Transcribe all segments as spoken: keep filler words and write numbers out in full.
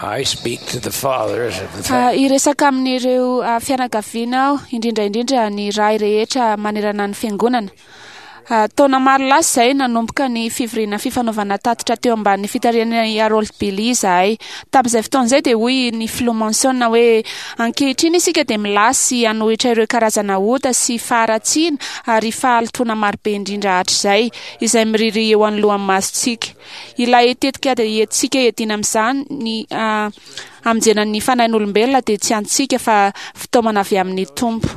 I speak to the fathers of the family. Hiresaka amin'ireo fianakaviana aho, indrindra indrindra ny ray rehetra manerana ny fiangonana. Taona maro lasa izay nanomboka ny fivoriana fifanaovana tatitra teo ambanin'ny fitarihan'i Harold Billy izahay. Tamin'izay fotoana izay dia hoy ny filoha Monson hoe ankehitriny isika dia milasy hanohitra ireo karazana ota sy faharatsiana ary fahalotoana marobe indrindra hatrizay izay miriria eo anoloan'ny masontsika. Ilay tetikady entintsika hiadiana amin'izany ny hamonjena ny fanahin'olombelona dia tsy antsika fa fitaomana avy amin'ny Tompo.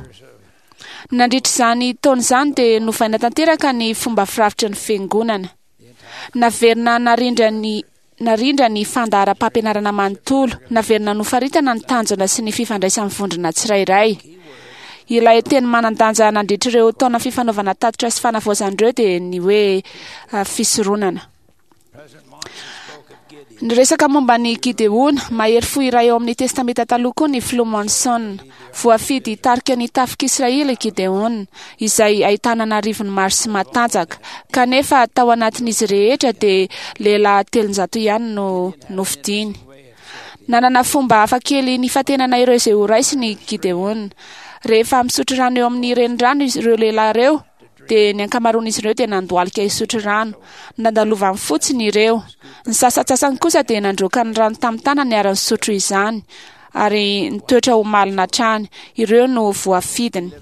Nandritra izany taona izany dia novaina tanteraka ny fomba firafitry ny fiangonana. Naverina narindra ny narindra ny fandaharam-pampianarana manontolo, naverina nofaritana ny tanjona sy ny fifandraisan'ny vondrona tsirairay. Ilay teny manan-danja nandritra ireo taona fifanaovana tatitra sy fanavaozana ireo dia ny hoe fisoronana. Niresaka momba ny Gideona, mahery fo iray ao amin'ny Testamenta Taloha koa ny filoha Monson. Voafidy hitarika ny tafik'Israely i Gideona, izay ahitana an'arivony maro sy matanjaka. Kanefa tao anatin'izy rehetra dia lehilahy telonjato ihany no nofidiny. Nanana fomba hafakely nifantenana ireo izay horaisiny i Gideona. Rehefa misotro rano eo amin'ny renirano ireo lehilahy ireo, dia ny ankamaroan'izy ireo dia nandohalika hisotro rano. Nandalovany fotsiny ireo. Ny sasantsasany kosa dia nandroaka ny rano tamin'ny tanany ary nisotro izany, ary nitoetra ho malina hatrany. Ireo no voafidiny.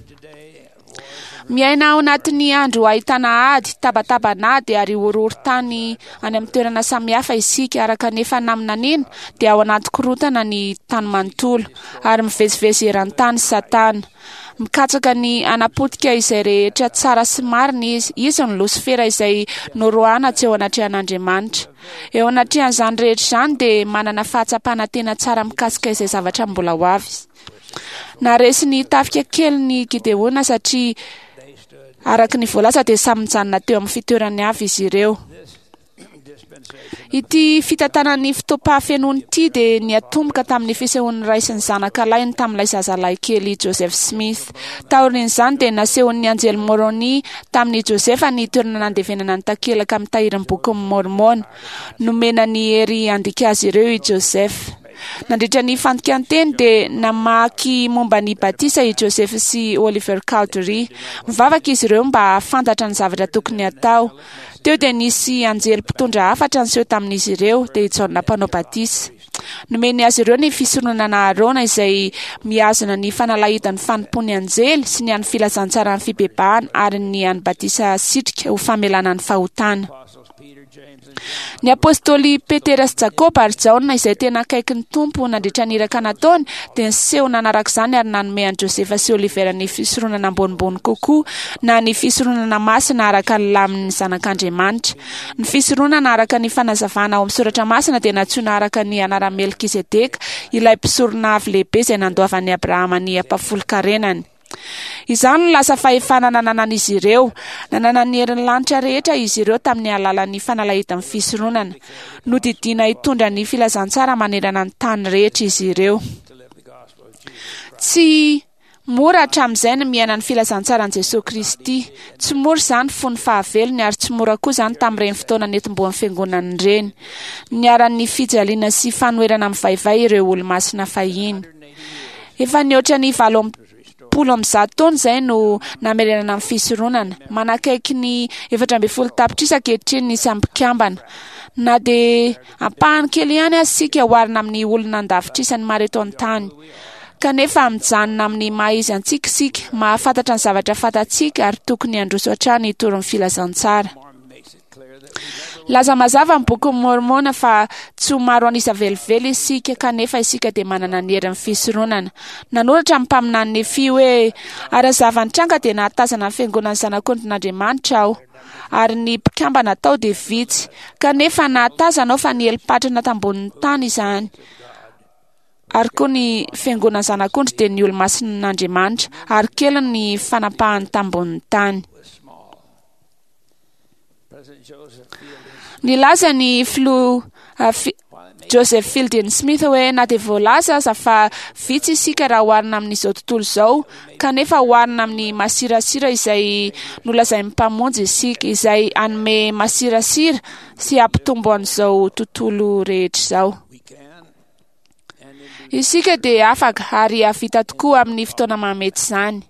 Miaina ao anatin'ny andro ahitana ady, tabataban'ady ary horohorontany any amin'ny toerana samihafa isika, araka ny efa naminaniana dia ao anaty korontana ny tany manontolo ary mivezivezy eran-tany Satana. Mikatsaka ny hanapotika izay rehetra tsara sy marina izy. Izy no Losifera izay noroahana tsy eo anatrehan'Andriamanitra. Eo anatrehan'izany rehetra izany dia manana fahatsapana tena tsara mikasika izay zavatra mbola ho avy. Naresy ny tafika kely ny Gideona satria araka ny voalaza dia samy nijanona teo amin'ny fitoerany avy izy ireo. Ity fitantanan'ny fotoam-pahafenoana ity dia niatomboka tamin'ny fisehoan'ny ray sy ny zanaka lahiny tamin'ilay zazalahy kely Joseph Smith. Taorian'izany dia nasehon'ny anjely Moroni tamin'i Joseph ny toerana nandevenana ny takelaka mitahiry ny bokin'ny Mormona. Nomena ny hery handika azy ireo i Joseph. Nandritra ny fandikan-teny dia namaky momba ny batisa i Joseph sy Oliver Cowdery. Mivavaka izy ireo mba hahafantatra ny zavatra tokony hatao. Teo dia nisy anjely mpitondra hafatra niseho tamin'izy ireo, dia i Jaona mpanao batisa. Nomeny azy ireo ny fisoronana Arona izay mihazona ny fanalahidin'ny fanompoan'ny anjely sy ny an'ny filazantsaran'ny fibebahana ary ny an'ny batisa sitrika ho famelana ny fahotana. Ny apôstôly Petera sy Jakoba ary Jaona izay tena akaiky ny Tompo nandritra ny iraka nataony dia niseho nanaraka izany ary nanome an'i Josefa sy Oliver ny fisoronana ambonimbony kokoa na ny fisoronana masina araka ny lamin'ny zanak'Andriamanitra. Ny fisoronana araka ny fanazavana ao amin'ny soratra masina dia nantsoina araka ny anaran'i Melkizedeka, ilay mpisorona avy lehibe izay nandoavan'i Abrahama ny ampahafolon-karenany. Izany no lasa fahefana nananan'izy ireo. Nanana ny herin'ny lanitra rehetra izy ireo tamin'ny alalan'ny fanalahidin'ny fisoronana. Nodidiana hitondra ny filazantsara manerana ny tany rehetra izy ireo. Tsy mora hatramin'izay ny miaina ny filazantsaran'i Jesoa Kristy. Tsy mora izany fony fahavelony ary tsy mora koa izany tamin'ireny fotoana nentim-boan'ny fiangonana ireny. Niharan'ny fijaliana sy fanoherana mivaivay ireo olomasina fahiny. Efa nihoatra ny valo amby polo amby zato taona izay no namerenana ny fisoronana. Manakaiky ny efatra ambin'ny folo tapitrisa ankehitriny ny isan'ny mpikambana. Na dia ampahany kely ihany aza isika oharina amin'ny olona an-davitrisany maro eto an-tany. Kanefa mijanona amin'ny maha izy antsika isika, mahafantatra ny zavatra fantatsika ary tokony handroso hatrany hitory ny filazantsara. Laza mazava ny bokin'ny Mormona fa tsy ho maro an'isa velively isika, kanefa isika dia manana ny herin'ny fisoronana. Nanoratra ny mpaminany Nefia hoe ary ny zava-nitranga dia nahatazana ny fiangonan'ny zanak'ondrin'Andriamanitra aho, ary ny mpikambana tao dia vitsy, kanefa nahatazana aho fa nieli-patrana tambonin'ny tany izany. Ary koa ny fiangonan'ny zanak'ondry dia ny olomasin'Andriamanitra, ary kely ny fanapahany tambonin'ny tany. Nilaza ny filoha Joseph Fielding Smith hoe na dia voalaza aza fa vitsy isika raha oharina amin'izao tontolo izao, kanefa oharina amin'ny masirasira izay nolazain'ny Mpamonjy isika, izay hanome masirasira sy hampitombo an'izao tontolo rehetra izao. Isika dia afaka ary hahavita tokoa amin'ny fotoana mahamety izany.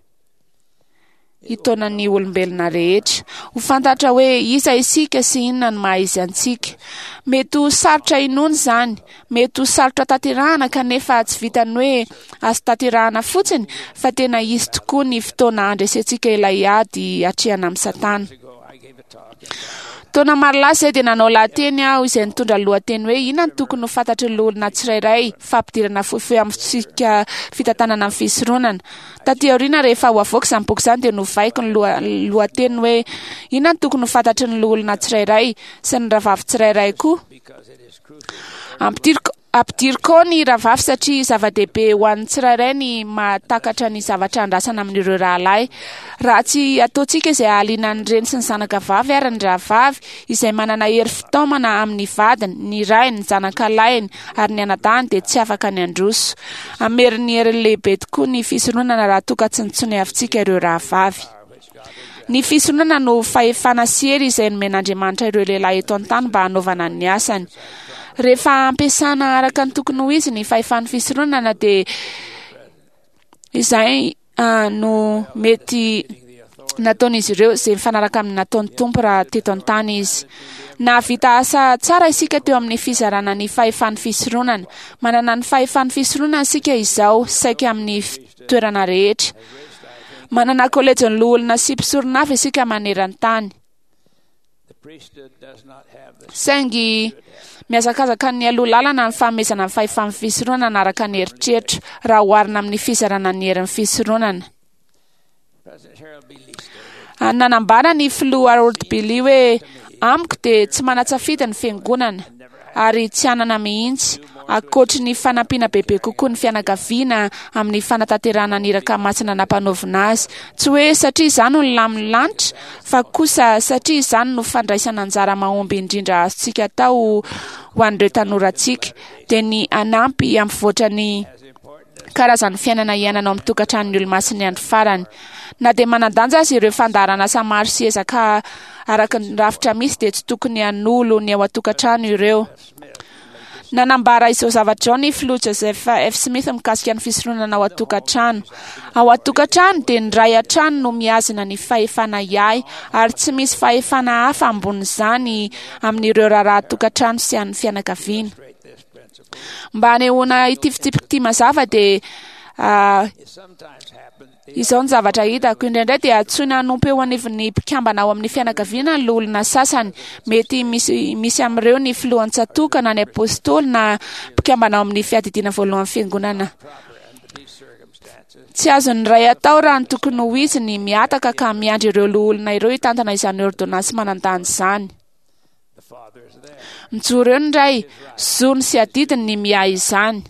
Hitaona ny olombelona rehetra. Ho fantatra hoe iza isika sy inona no maha izy antsika. Mety ho sarotra inoana izany, mety ho sarotra tanterahana, kanefa tsy vitan'ny hoe azo tanterahana fotsiny, fa tena izy tokoa ny fotoana handresentsika ilay ady atrehana amin'ny Satana. Taona maro lasa izay dia nanao lahateny aho izay nitondra lohateny hoe inona no tokony ho fantatry ny loholona tsirairay, fampidirana fohifohy amin'ny fitsipika fitantanana ny fisoronana. Taty aoriana rehefa ho avoaka izany boky izany dia novaiko ny loha- lohateny hoe inona no tokony ho fantatry ny loholona tsirairay sy ny rahavavy tsirairay koa. Ampidiriko Ampidiriko ao ny rahavavy satria zava-dehibe ho an'ny tsirairay ny mahatakatra ny zavatra andrasana amin'ireo rahalahy. Raha tsy ataontsika izay hahaliana ny reny sy ny zanaka vavy ary ny rahavavy izay manana hery fitaomana amin'ny vadiny, ny rainy, ny zanakalahiny ary ny anadahiny dia tsy afaka ny handroso. Hamerin'ny heriny lehibe tokoa ny fisoronana raha toa ka tsy nitsoniavintsika ireo rahavavy. Ny fisoronana no fahefana sy hery izay nomen'Andriamanitra ireo lehilahy eto an-tany mba hanaovana ny asany. Rehefa ampiasana araka ny tokony ho izy ny fahefan'ny fisoronana dia izay no mety nataon'izy ireo izay mifanaraka amin'ny nataon'ny Tompo raha teto an-tany izy. Nahavita asa tsara isika teo amin'ny fizarana ny fahefan'ny fisoronana. Manana ny fahefan'ny fisoronana isika izao saika amin'ny toerana rehetra. Manana kolejin'ny loholona sy mpisorona avy isika maneran-tany. Saingy mihazakazaka ny aloha lalana ny fanomezana ny fahefan'ny fisoronana araka ny eritreritra raha oharina amin'ny fizarana ny herin'ny fisoronana. Nanambara ny filoha Harold B. Lee hoe amiko dia tsy manan-tsafidy ny fiangonana ary tsy hanana mihitsy ankoatry ny fanampiana bebe kokoa ny fianakaviana amin'ny fanatanterahana ny iraka masina nampanaovina azy. Tsy hoe satria izany no lamin'ny lanitra, fa kosa satria izany no fandraisana anjara mahomby indrindra azontsika atao ho an'ireo tanorantsika, dia ny hanampy hampivoatra ny karazan'ny fiainana iainana ao amin'ny tokantranon'ny olomasin'ny andro farany. Na dia manan-danja aza ireo fandaharan'asa maro sy ezaka araka ny rafitra misy dia tsy tokony hanolo ny ao an-tokantrano ireo. Nanambara izao zavatra izao ny filoha Joseph F. Smith mikasika ny fisoronana ao an-tokantrano. Ao an-tokantrano dia ny ray hatrany no mihazona ny fahefana hiahy ary tsy misy fahefana hafa ambonin'izany amin'ireo raharaha tokantrano sy an'ny fianakaviana. Mba hanehoana ity fitsipika ity mazava dia izao ny zavatra hitako. Indraindray dia antsoina hanompo eo anivon'ny mpikambana ao amin'ny fianakaviana ny loholona sasany. Mety misy, misy amin'ireo ny filohan'ny tsatòka na ny apôstôly na mpikambana ao amin'ny fiadidiana voalohan'ny fiangonana. Tsy azon'ny ray atao raha ny tokony ho izy ny mihataka ka miandry ireo loholona ireo hitantana izany ôrdônansy manan-danja izany. Mijoro eo ny ray, zony sy adidiny ny miahy izany.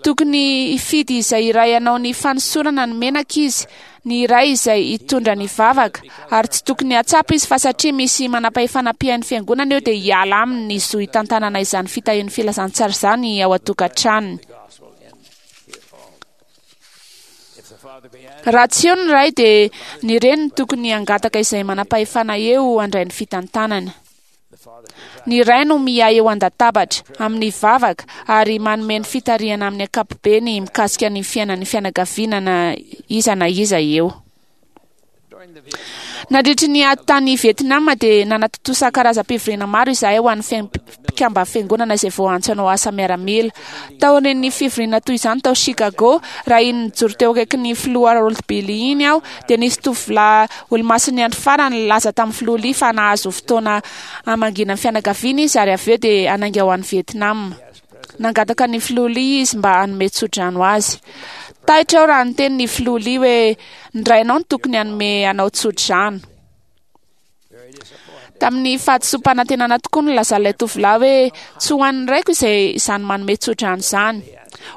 Tokony hifidy izay iray hanao ny fanosorana ny menaka izy, ny iray izay hitondra ny vavaka, ary tsy tokony hahatsapa izy fa satria misy manam-pahefana mpihaino fiangonana eo dia hiala aminy ny zo hitantanana izany fitahian'ny filazantsara izany ao an-tokantranony. Raha tsy eo ny ray dia ny reniny tokony hangataka izay manam-pahefana eo handray ny fitantanana. Ny ray no miahy eo an-databatra amin'ny vavaka ary manome ny fitarihana amin'ny ankapobeny mikasika ny fiainan'ny fianakaviana na iza na iza eo. Nandritry ny ady tany Vietnam dia nanatontosa karazam-pivoriana maro izahay ho an'ny mpikambana fiangonana izay voaantso hanao asa miaramila. Taorian'ny fivoriana toy izany tao Chicago, raha iny nijoro teo akaikin'ny filoha Harold B. Lee iny aho, dia nisy tovolahy olomasin'ny andro farany nilaza tamin'ny filoha Lee fa nahazo fotoana hamangiana ny fianakaviany izy ary avy eo dia hanainga ho any Vietnam. Nangataka ny filoha Lee izy mba hanome tsodrano azy. Taitra aho raha niteny ny filoha Lee hoe ny rainao no tokony hanome anao tsodrano. Tamin'ny fahadisoam-panantenana tokoa no nilazan'ilay tovolahy hoe tsy ho an'ny raiko izay izany manome tsodrano izany.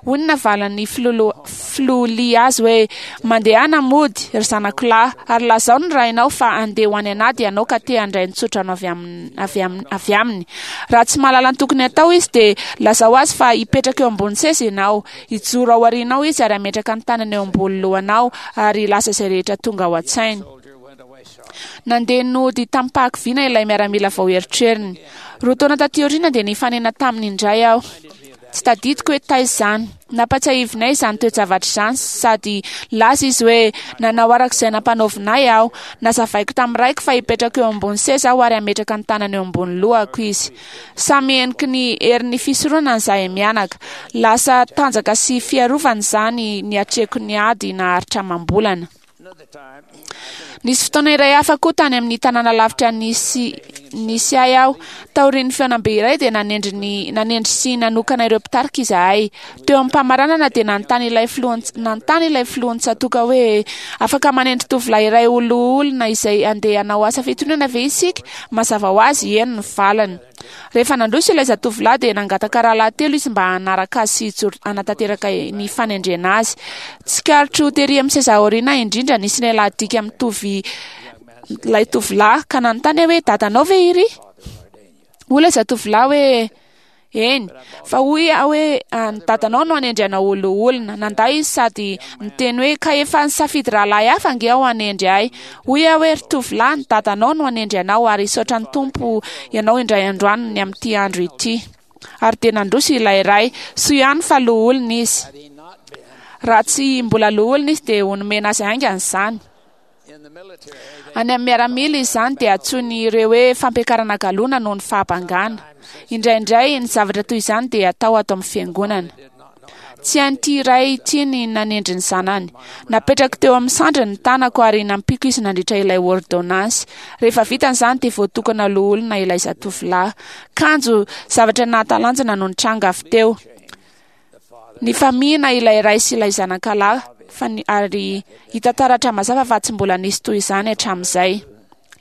Hoy ny navalin'ny filoha Lee azy hoe mandehana mody ry zanako lahy ary lazao ny rainao fa handeha ho any an'ady ianao ka te handray ny tsodrano avy aminy, avy aminy, avy aminy. Raha tsy mahalala ny tokony hatao izy dia lazao azy fa hipetraka eo ambony seza ianao, hijoro ao aorianao izy ary hametraka ny tanany eo ambony lohanao ary hilaza izay rehetra tonga ao an-tsainy. Nandeha nody tamim-pahakiviana ilay miaramila vao eritreriny. Roa taona taty aoriana dia nifanena taminy indray aho. Tsy tadidiko hoe taiza izany. Nampatsiahivinay izany toe-javatra izany sady laza izy hoe nanao araka izay nampanaovina ahy aho. Nazavaiko tamin'ny raiko fa hipetraka eo ambony seza aho ary hametraka ny tanany eo ambony lohako izy. Samy heniky ny herin'ny fisoronana izahay mianaka. Lasa tanjaka sy fiarovana izany niatrehako ny ady naharitra amam-bolana. Nisy fotoana iray hafa koa tany amin'ny tanàna lavitra nisy nisy ahy aho. Taorian'ny fihaonambe iray dia nanendry ny nanendry sy nanokana ireo mpitarika izahay. Teo am-pamaranana dia nanontany ilay filohan nanontany ilay filohan'ny tsatoka hoe afaka manendry tovolahy iray ho loholona izay andeha hanao asa fitonana ve isika? Mazava ho azy, eny ny valiny. Rehefa nandroso ilay zatovolahy dia nangataka rahalahy telo izy mba hanaraka azy sy hijoro hanatanteraka ny fanendrena azy. Tsikaritro tery amin'ny seza aoriana indrindra nisy lehilahy dika mitovy ilay tovolahy ka nanontany aho hoe dadanao ve iry? Hoy ilay zatovolahy hoe eny, fa hoy aho hoe ny dadanao no hanendry anao ho loholona. Nandà izy sady niteny hoe ka efa nisafidy rahalahy hafa ange aho hanendry ahy. Hoy aho hoe ry tovolahy, ny dadanao no hanendry anao ary hisaotra ny Tompo ianao indray androany ny amin'ity andro ity. Ary dia nandroso ilay ray. Soa ihany fa loholona izy. Raha tsy mbola loholona izy dia ho nomena azy haingana izany. Any amin'ny miaramila izany dia antsoin'ireo hoe fampiakarana galona noho ny fahabangana. Indraindray ny zavatra toy izany dia atao ato amin'ny fiangonana. Tsy hain'ity ray ity ny nanendry ny zanany. Napetrako teo amin'ny sandriny ny tanako ary nampiako izy nandritra ilay ordonnance. Rehefa vitany izany dia voatokana loholona ilay zatovolahy. Kanjo zavatra nahatalanjona no nitranga avy teo. Nifamihina ilay ray sy ilay zanakalahy fa ny, ary hita taratra mazava fa tsy mbola nisy toy izany hatramin'izay.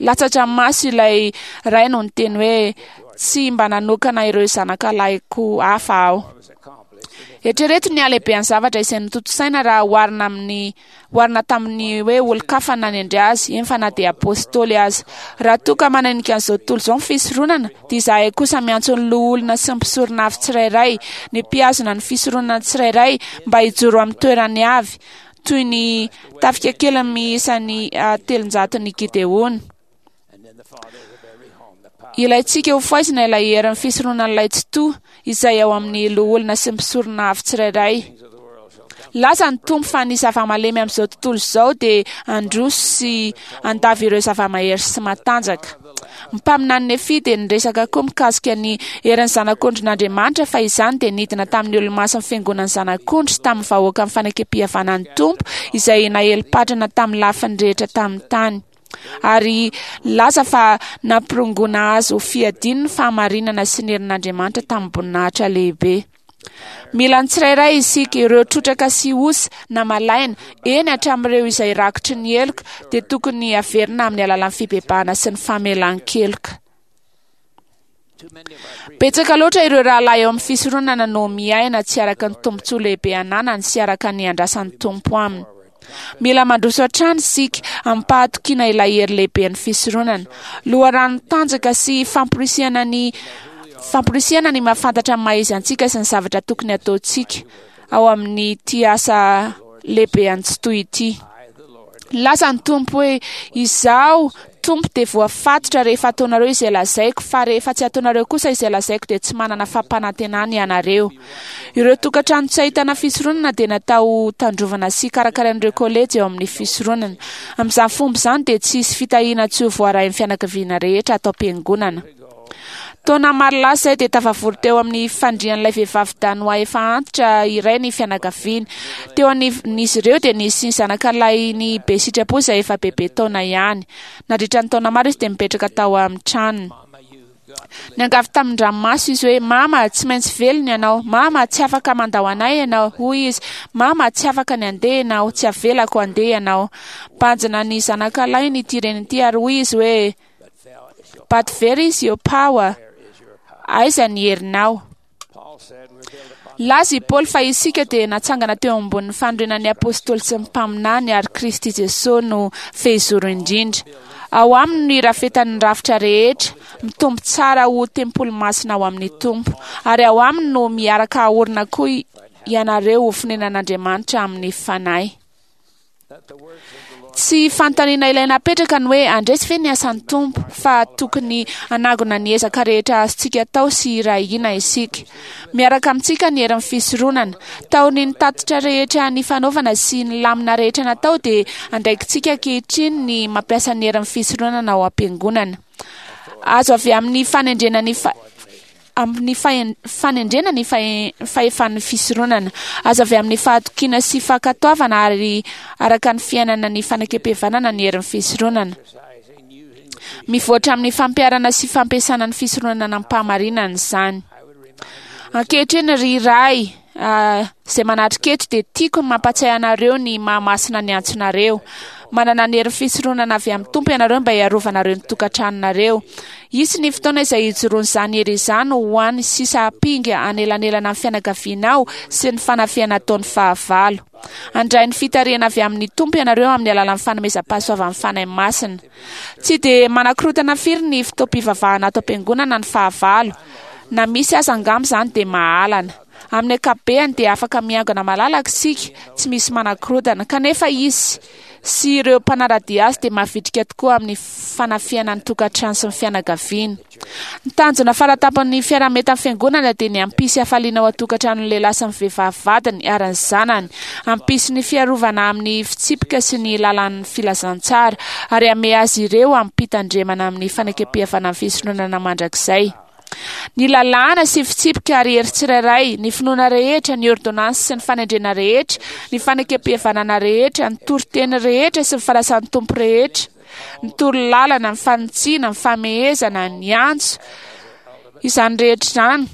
Latsa-dranomaso ilay ray no niteny hoe tsy mba nanokana ireo zanakalahiko hafa aho. Eritrereto ny halehiben'ny zavatra izay notontosaina raha oharina amin'ny oharina tamin'ny hoe olon-kafa nanendry azy, eny fa na dia apôstôly aza. Raha toa ka mananika an'izao tontolo izao ny fisoronana, dia izahay kosa miantso ny loholona sy ny mpisorona avy tsirairay, ny mpihazona ny fisoronana tsirairay mba hijoro amin'ny toerany avy, toy ny tafika kely miisa ny telonjaton'ny Gideona. Ilaintsika ho fohaizina ilay herin'ny fisoronan'ilay Tsitoha izay ao amin'ny loholona sy ny mpisorona avy tsirairay. Laza ny Tompo fa ny zava-malemy amin'izao tontolo izao dia handroso sy handavy ireo zava-mahery sy matanjaka. Ny mpaminany Nefia dia niresaka koa mikasika ny herin'ny zanak'ondrin'Andriamanitra fa izany dia nidina tamin'ny olomasin'ny fiangonan'ny zanak'ondry sy tamin'ny vahoakan'ny fanekem-pihavanan'ny Tompo izay nahelom-patrana tamin'ny lafiny rehetra tamin'ny tany. Ary laza fa nampirongoana azy ho fiadiany ny fahamarinana sy ny herin'Andriamanitra tamin'ny boninahitra lehibe. Mila ny tsirairay isika, ireo trotraka sy osa na malaina, eny hatramin'ireo izay rakotry ny heloka, dia tokony haverina amin'ny alalan'ny fibebahana sy ny famelan-keloka. Betsaka loatra ireo rahalahy eo amin'ny fisoronana no miaina tsy araka ny tombontsoa lehibe ananany sy araka ny andrasan'ny Tompo aminy. Mila mandroso hatrany isika amim-pahatokiana ilay hery lehiben'ny fisoronana. Loharano tanjaka sy famporisihana ny famporisihana ny mahafantatra ny maha izy antsika sy ny zavatra tokony hataontsika ao amin'ity asa lehibe an'i Tsitoha ity. Nilaza ny Tompo hoe izaho Tompo dia voafatotra rehefa ataonareo izay lazaiko, fa rehefa tsy ataonareo kosa izay lazaiko dia tsy manana fampanantenana ianareo. Ireo tokantrano tsy ahitana fisoronana dia natao tandrovana sy karakarain'ireo kolejy eo amin'ny fisoronana. Amin'izany fomba izany dia tsy hisy fitahiana tsy ho voarain'ny fianakaviana rehetra ato am-piangonana. Taona maro lasa izay dia tafavory teo amin'ny fandrian'ilay vehivavy danoà efa antitra iray ny fianakaviany. Teo anivon'izy ireo dia nisy zanakalahin'i be sitrapo izay efa bebe taona ihany. Nandritra ny taona maro izy dia mipetraka tao amin'ny tranony. Niangavy tamin-dranomaso izy hoe, Mama, tsy maintsy velona ianao. Mama, tsy afaka mandao anay ianao. Hoy izy, Mama, tsy afaka ny handeha ianao. Tsy avelako handeha ianao. Banjina ny zanakalahiny ity reny ity ary hoy izy hoe, But where is your power? Aiza ny herinao? Laza i Paoly fa isika dia natsangana teo ambonin'ny fanorenan'ny apôstôly sy ny mpaminany ary Kristy Jesosy no fehizoro indrindra. Ao aminy no irafetan'ny rafitra rehetra, mitombo tsara ho tempoly masina ao amin'ny Tompo. Ary ao aminy no miaraka aorina koa ianareo ho fonenan'Andriamanitra amin'ny Fanahy. Tsy fanontaniana ilaina apetraka ny hoe handresy ve ny asan'ny Tompo, fa tokony hanangona ny ezaka rehetra azontsika atao sy hiray hina isika. Miaraka amintsika ny herin'ny fisoronana. Taorian'ny tatitra rehetra nifanaovana sy ny lamina rehetra natao dia andraikitsika ankehitriny ny mampiasa ny herin'ny fisoronana ao am-piangonana. Azo avy amin'ny fanendrena ny fa amin'ny fanendrena ny fahefan'ny fisoronana, azo avy amin'ny fahatokiana sy fankatoavana ary araka ny fiainana ny fanekem-pihavanana ny herin'ny fisoronana. Mivoatra amin'ny fampiharana sy fampiasana ny fisoronana amim-pahamarinana izany. Ankehitriny ry Ray izay manatrika eto dia tiako ny mampatsiahy anareo ny mahamasina ny antsonareo. Manana ny herin'ny fisoronana avy amin'ny Tompo ianareo mba hiarovanareo ny tokantranonareo. Hisy ny fotoana izay hijoroan'izany hery izany ho an'ny sisa ampinga anelanelana amin'ny fianakavianao sy ny fanafihana ataon'ny fahavalo. Handray ny fitarihana avy amin'ny Tompo ianareo amin'ny alalan'ny fanomezam-pahasoavan'ny Fanahy Masina. Tsy dia manakorotana firy ny fotoam-pivavahana ato am-piangonana ny fahavalo. Na misy aza angamba izany dia mahalana. Amin'ny ankapobeny dia afaka miangona malalaka isika, tsy misy manakorotana. Kanefa izy sy ireo mpanara-dia azy dia mavitrika tokoa amin'ny fanafihana ny tokantrano sy ny fianakaviana. Ny tanjona faratampon'ny fiaraha-mientan'ny fiangonana dia ny hampisy hafaliana ao an-tokantranon'ny lehilahy sy ny vehivavy vadiny ary ny zanany, hampisy ny fiarovana amin'ny fitsipika sy ny lalàn'ny filazantsara, ary hamehy azy ireo amim-pitandremana amin'ny fanekem-pihavanan'ny fisoronana mandrakizay. Ny lalàna sy fitsipika ary hery tsirairay, ny finoana rehetra, ny ôrdônansy sy ny fanendrena rehetra, ny fanekem-pihavanana rehetra, ny toriteny rehetra sy ny fanasan'ny Tompo rehetra, ny torolalana, ny fanitsiana, ny famehezana, ny antso, izany rehetra izany,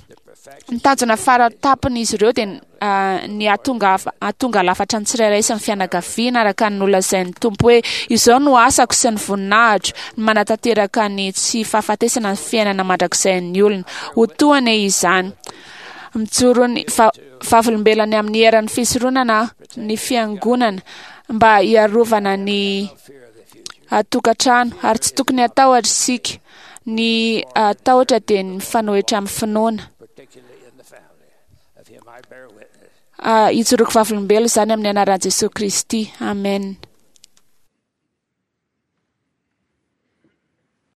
ny tanjona faratapon'izy ireo dia ny hahatonga hahatonga lafatra ny tsirairay sy ny fianakaviana araka ny nolazain'ny Tompo hoe izao no asako sy ny voninahitro, ny manatanteraka ny tsy fahafatesana ny fiainana mandrakizay ny olona. Ho toa anie izany. Mijoro ny vavolombelona amin'ny herin'ny fisoronana ny fiangonana mba hiarovana ny tokantrano, ary tsy tokony hatahotra isika. Ny tahotra dia ny mifanohitra amin'ny finoana. Hijoroako vavolombelona izany amin'ny anaran'i Jesoa Kristy. Amen.